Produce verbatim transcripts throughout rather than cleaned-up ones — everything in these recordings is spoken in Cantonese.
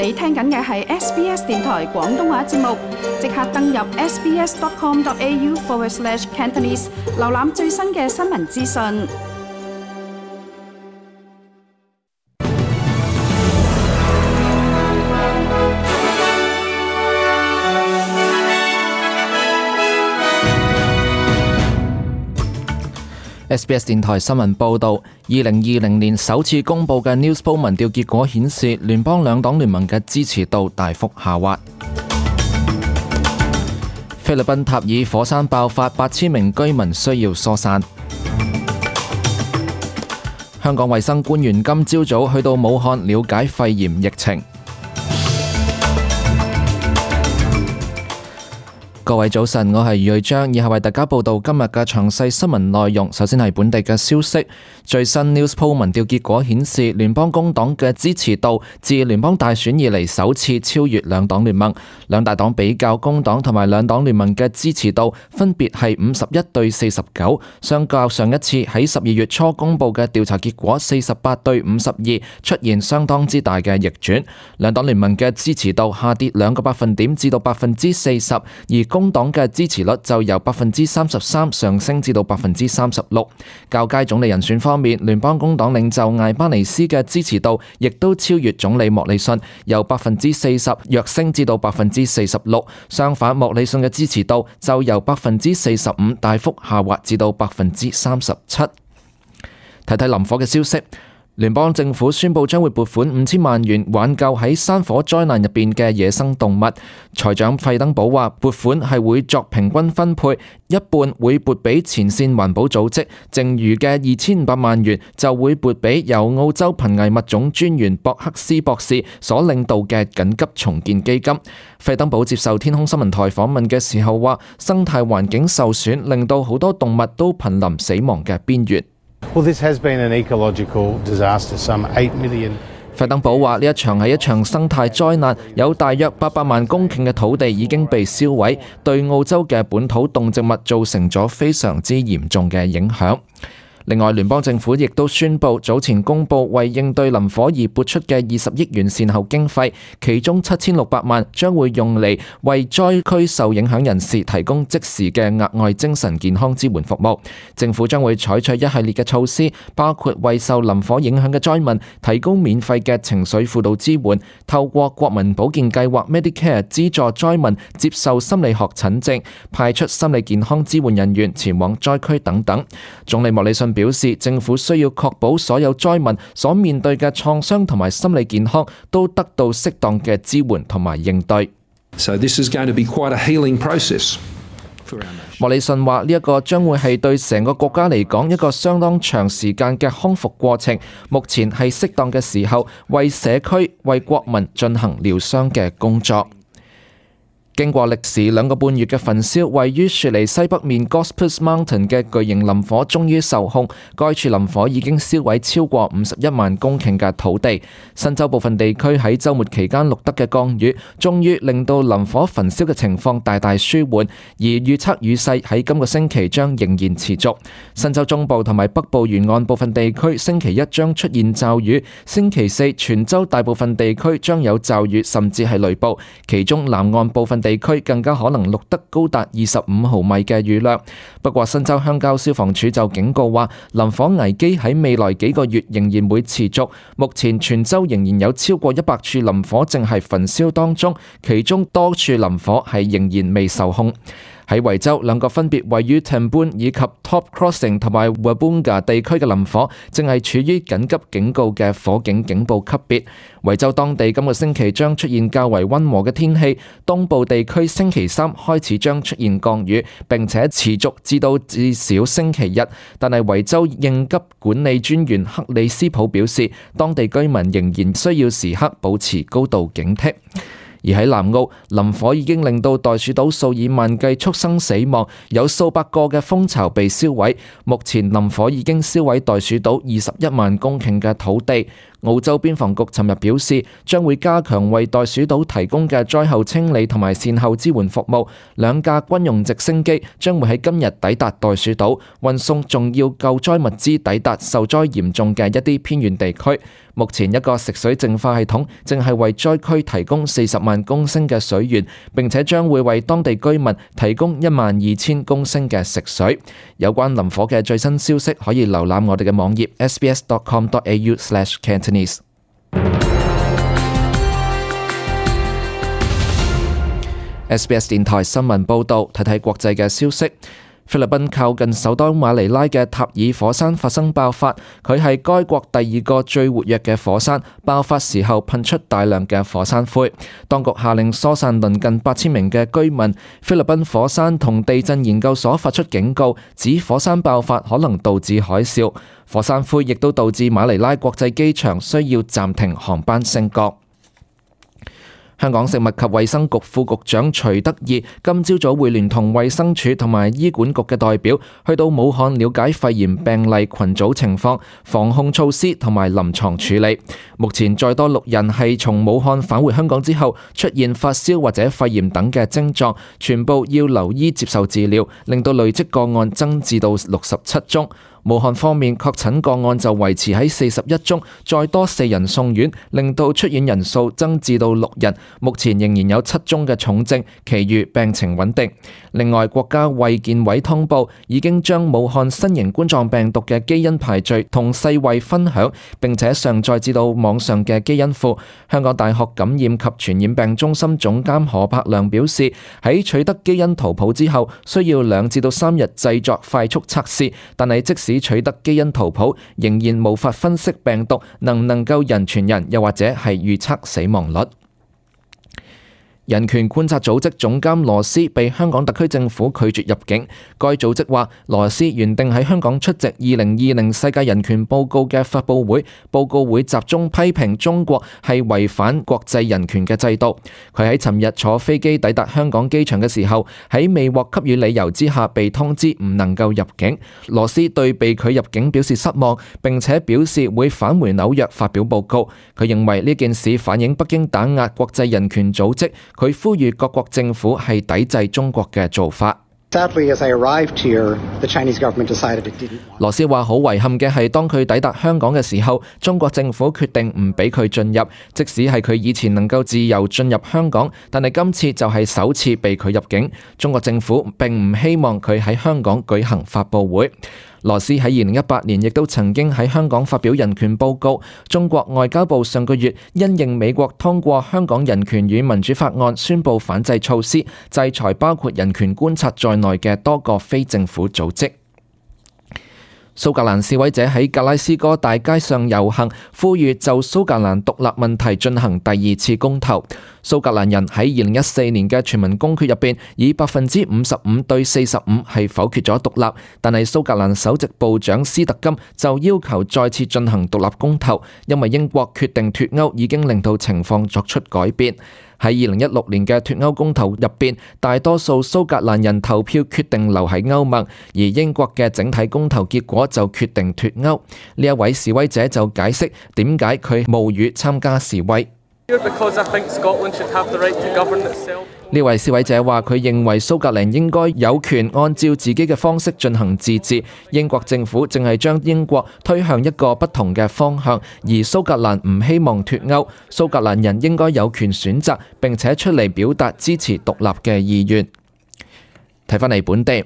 你聽緊嘅係 S B S 電台廣東話節目，即刻登入 sbs.com.au forward slash Cantonese， 瀏覽最新嘅新聞資訊。S B S 電台新聞報導，二零二零年首次公佈嘅 Newspoll 民調結果顯示，聯邦兩黨聯盟嘅支持度大幅下滑。菲律賓塔爾火山爆發，八千名居民需要疏散。香港衛生官員今朝早去到武漢了解肺炎疫情。各位早晨，我係余瑞章，以下為大家報道今日嘅詳細新聞內容。首先係本地嘅消息，最新 Newspoll 民調結果顯示，聯邦工黨嘅支持度自聯邦大選以嚟首次超越兩黨聯盟。兩大黨比較，工黨同埋兩黨聯盟嘅支持度分別係五十一對四十九，相較上一次喺十二月初公佈嘅調查結果四十八對五十二，出現相當之大嘅逆轉。兩黨聯盟嘅支持度下跌兩個百分點至到百分之四十，而工黨嘅支持率就由百分之三十三上升至到百分之三十六。較佳總理人選方面，聯邦工黨領袖艾巴尼斯嘅支持度亦都超越總理莫里遜，由百分之四十躍升至到百分之四十六。相反，莫里遜嘅支持度就由百分之四十五大幅下滑至到百分之三十七。睇睇林火嘅消息。聯邦政府宣布將會撥款五千萬元挽救喺山火災難入邊嘅野生動物。財長費登堡話，撥款係會作平均分配，一半會撥俾前線環保組織，剩餘嘅二千五百萬元就會撥俾由澳洲瀕危物種專員博克斯博士所領導嘅緊急重建基金。費登堡接受天空新聞台訪問嘅時候話，生態環境受損，令到好多動物都瀕臨死亡嘅邊緣。Well, this has been an ecological disaster. Some eight million. 費登堡話：呢一場係一場生態災難，有大約八百萬公頃嘅土地已經被燒毀，對澳洲嘅本土動植物造成咗非常之嚴重嘅影響。另外，聯邦政府亦都宣布早前公佈為應對林火而撥出嘅二十億元善後經費，其中七千六百萬將會用嚟為災區受影響人士提供即時嘅額外精神健康支援服務。政府將會採取一系列嘅措施，包括為受林火影響嘅災民提供免費嘅情緒輔導支援，透過國民保健計劃 Medicare 資助災民接受心理學診症，派出心理健康支援人員前往災區等等。總理莫里遜表示，政府需要確保所有災民所面對嘅創傷同埋心理健康都得到適當嘅支援同埋應對。So this is going to be quite a healing process. 莫里遜話：呢一個將會係對成個國家嚟講一個相當長時間嘅康復過程，目前係適當嘅時候為社區、為國民進行療傷嘅工作。經過歷時兩個半月嘅焚燒，位於雪梨西北面 Gospers Mountain 嘅巨型林火終於受控。該處林火已經燒毀超過五十一萬公頃嘅土地。新州部分地區喺週末期間錄得嘅降雨，終於令到林火焚燒嘅情況大大舒緩。而預測雨勢喺今個星期將仍然持續。新州中部同埋北部沿岸部分地區星期一將出現驟雨，星期四全州大部分地區將有驟雨甚至係雷暴，其中南岸部分地區更加可能錄得高達二十五毫米嘅雨量。不過新州鄉郊消防處就警告話，林火危機喺未來幾個月仍然會持續。目前全州仍然有超過一百處林火正係焚燒當中，其中多處林火係仍然未受控。喺維州，兩個分別位於 Tamboon 以及 Top Crossing 同埋 Wabunga 地區嘅林火，正係處於緊急警告嘅火警警報級別。維州當地今個星期將出現較為溫和嘅天氣，東部地區星期三開始將出現降雨，並且持續至到至少星期日。但係維州應急管理專員克里斯普表示，當地居民仍然需要時刻保持高度警惕。而喺南澳，林火已經令到袋鼠島數以萬計畜生死亡，有數百個嘅蜂巢被燒毀。目前林火已經燒毀袋鼠島二十一萬公頃嘅土地。澳洲邊防局尋日表示，將會加強為袋鼠島提供嘅災後清理同埋善後支援服務。兩架軍用直升機將會喺今日抵達袋鼠島，運送重要救災物資抵達受災嚴重嘅一啲偏遠地區。目前一個食水淨化系統正係為災區提供四十萬公升嘅水源，並且將會為當地居民提供一萬二千公升嘅食水。有關林火嘅最新消息可以瀏覽我哋嘅網頁 s b s dot com dot a u slash cantonese。S B S 電台新聞報導，睇睇國際嘅消息。菲律賓靠近首都馬尼拉嘅塔爾火山發生爆發，佢係該國第二個最活躍嘅火山，爆發時候噴出大量嘅火山灰。當局下令疏散鄰近八千名嘅居民。菲律賓火山同地震研究所發出警告，指火山爆發可能導致海嘯。火山灰亦都導致馬尼拉國際機場需要暫停航班升降。香港食物及衛生局副局長徐德義今朝早會聯同衛生署同埋醫管局嘅代表去到武漢了解肺炎病例群組情況、防控措施同埋臨床處理。目前再多六人係從武漢返回香港之後出現發燒或者肺炎等嘅症狀，全部要留醫接受治療，令到累積個案增至到六十七宗。武漢方面確診個案就維持喺四十一宗，再多四人送院，令到出院人數增至到六人。目前仍然有七宗嘅重症，其餘病情穩定。另外，國家衛健委通報已經將武漢新型冠狀病毒嘅基因排序同世衛分享，並且上載至到網上嘅基因庫。香港大學感染及傳染病中心總監何柏良表示，喺取得基因圖譜之後，需要兩至到三日製作快速測試，但係即使取得基因圖譜，仍然無法分析病毒能唔能夠人傳人，又或者係預測死亡率。人權觀察組織總監羅斯被香港特區政府拒絕入境。該組織話，羅斯原定喺香港出席二零二零世界人權報告嘅發佈會，報告會集中批評中國係違反國際人權嘅制度。佢喺尋日坐飛機抵達香港機場嘅時候，喺未獲給予理由之下被通知唔能夠入境。羅斯對被拒入境表示失望，並且表示會返回紐約發表報告。佢認為呢件事反映北京打壓國際人權組織。佢呼籲各國政府係抵制中國嘅做法。羅斯話好遺憾嘅係，當佢抵達香港嘅時候，中國政府決定唔俾佢進入。即使係佢以前能夠自由進入香港，但係今次就係首次被拒入境。中國政府並唔希望佢喺香港舉行發佈會。羅斯喺二零一八年亦都曾經喺香港發表人權報告。中國外交部上個月因應美國通過香港人權與民主法案，宣布反制措施，制裁包括人權觀察在內嘅多個非政府組織。蘇格蘭示威者喺格拉斯哥大街上遊行，呼籲就蘇格蘭獨立問題進行第二次公投。蘇格蘭人喺二零一四年嘅全民公決入邊，以百分之五十五對四十五係否決咗獨立，但係蘇格蘭首席部長斯特金就要求再次進行獨立公投，因為英國決定脫歐已經令到情況作出改變。喺二零一六年嘅脫歐公投入邊，大多數蘇格蘭人投票決定留喺歐盟，而英國嘅整體公投結果就決定脫歐。呢一位示威者就解釋點解佢冒雨參加示威。呢位示威者話：佢認為蘇格蘭應該有權按照自己嘅方式進行自治。英國政府正係將英國推向一個不同嘅方向，而蘇格蘭唔希望脫歐。蘇格蘭人應該有權選擇，並且出嚟表達支持獨立嘅意願。睇返嚟本地。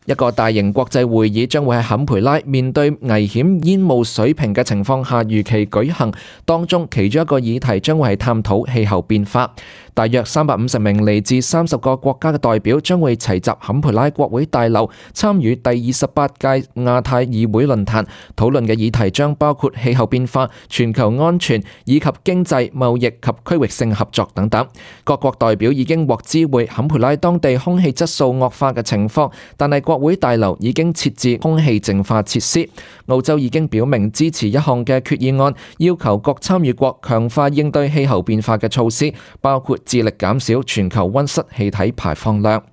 一個大型國際會議將會喺坎培拉面對危險煙霧水平嘅情況下如期舉行，當中其中一個議題將會係探討氣候變化。大約三百五十名嚟自三十個國家嘅代表將會齊集坎培拉國會大樓，參與第二十八屆亞太議會論壇。討論嘅議題將包括氣候變化、全球安全以及經濟、貿易及區域性合作等等。各國代表已經獲知會坎培拉當地空氣質素惡化嘅情況，但係國會大樓已經設置空氣淨化設施。澳洲已經表明支持一項嘅決議案，要求各參與國強化應對氣候變化嘅措施，包括致力減少全球溫室氣體排放量。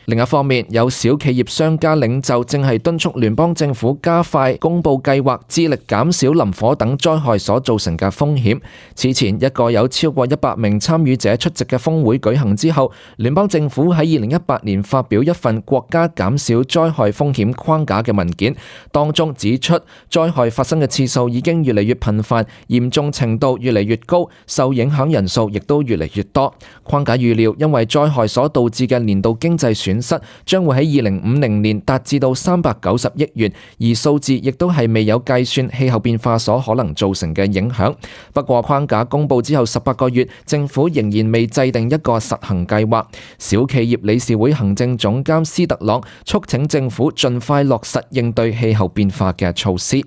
另一方面，有小企業商家領袖正係敦促聯邦政府加快公佈計劃，致力減少林火等災害所造成嘅風險。此前一個有超過一百名參與者出席嘅峰會舉行之後，聯邦政府喺二零一八年發表一份國家減少災害風險框架嘅文件，當中指出災害發生嘅次數已經越嚟越頻繁，嚴重程度越嚟越高，受影響人數亦都越嚟越多。框架預料因為災害所導致嘅年度經濟損失將會喺二零五零年達至到三百九十億元，而數字亦都係未有計算氣候變化所可能造成嘅影響。不過框架公佈之後十八個月，政府仍然未制定一個實行計劃。小企業理事會行政總監斯特朗促請政府盡快落實應對氣候變化嘅措施。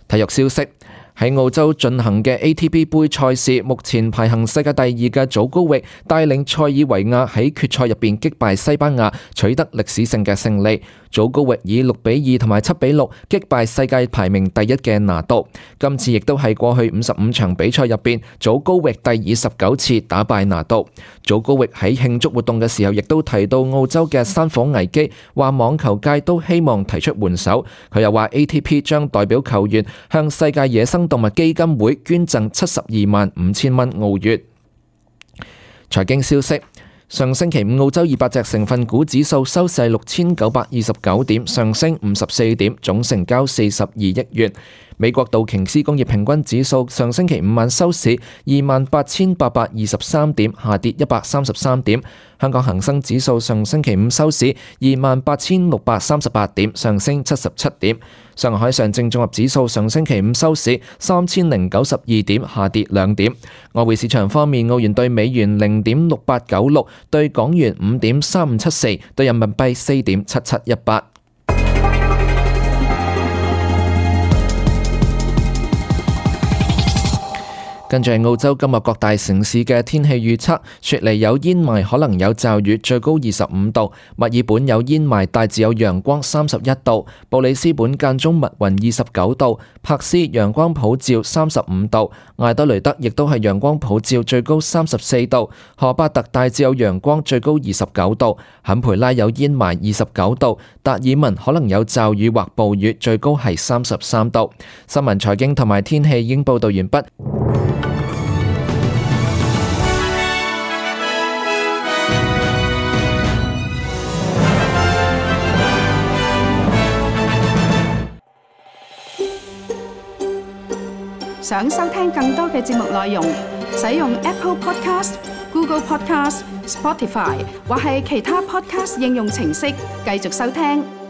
體育消息。喺澳洲進行嘅 A T P 杯賽事，目前排行世界第二嘅祖高域帶領塞爾維亞喺決賽入邊擊敗西班牙，取得歷史性嘅勝利。祖高域以六比二同埋七比六擊敗世界排名第一嘅拿度。今次亦都係過去五十五場比賽入邊，祖高域第二十九次打敗拿度。祖高域喺慶祝活動嘅時候，亦都提到澳洲嘅山火危機，話網球界都希望提出援手。佢又話 A T P 將代表球員向世界野生動物基金會捐贈七十二萬五千蚊澳元。財經消息。上星期五澳洲二百隻成分股指數收市六千九百二十九點，上升五十四點，總成交四十二億元。美國道瓊斯工業平均指數上星期五晚收市二萬八千八百二十三點，下跌一百三十三點。香港恒生指數上星期五收市二萬八千六百三十八點，上升七十七點。上海上證綜合指數上星期五收市三千零九十二點，下跌兩點。外匯市場方面，澳元對美元零點六八九六，對港元五點三五七四，對人民幣四點七七一八。跟住係澳洲今日各大城市嘅天氣預測：雪梨有煙霾，可能有驟雨，最高二十五度；墨爾本有煙霾，大致有陽光，三十一度；布里斯本間中密雲，二十九度；柏斯陽光普照，三十五度；艾德雷德亦都係陽光普照，最高三十四度；荷巴特大致有陽光，最高二十九度；坎培拉有煙霾，二十九度；達爾文可能有驟雨或暴雨，最高係三十三度。新聞、財經同埋天氣已經報道完畢。想收聽更多嘅節目內容，使用 Apple Podcast、Google Podcast、Spotify 或係其他 Podcast 應用程式繼續收聽。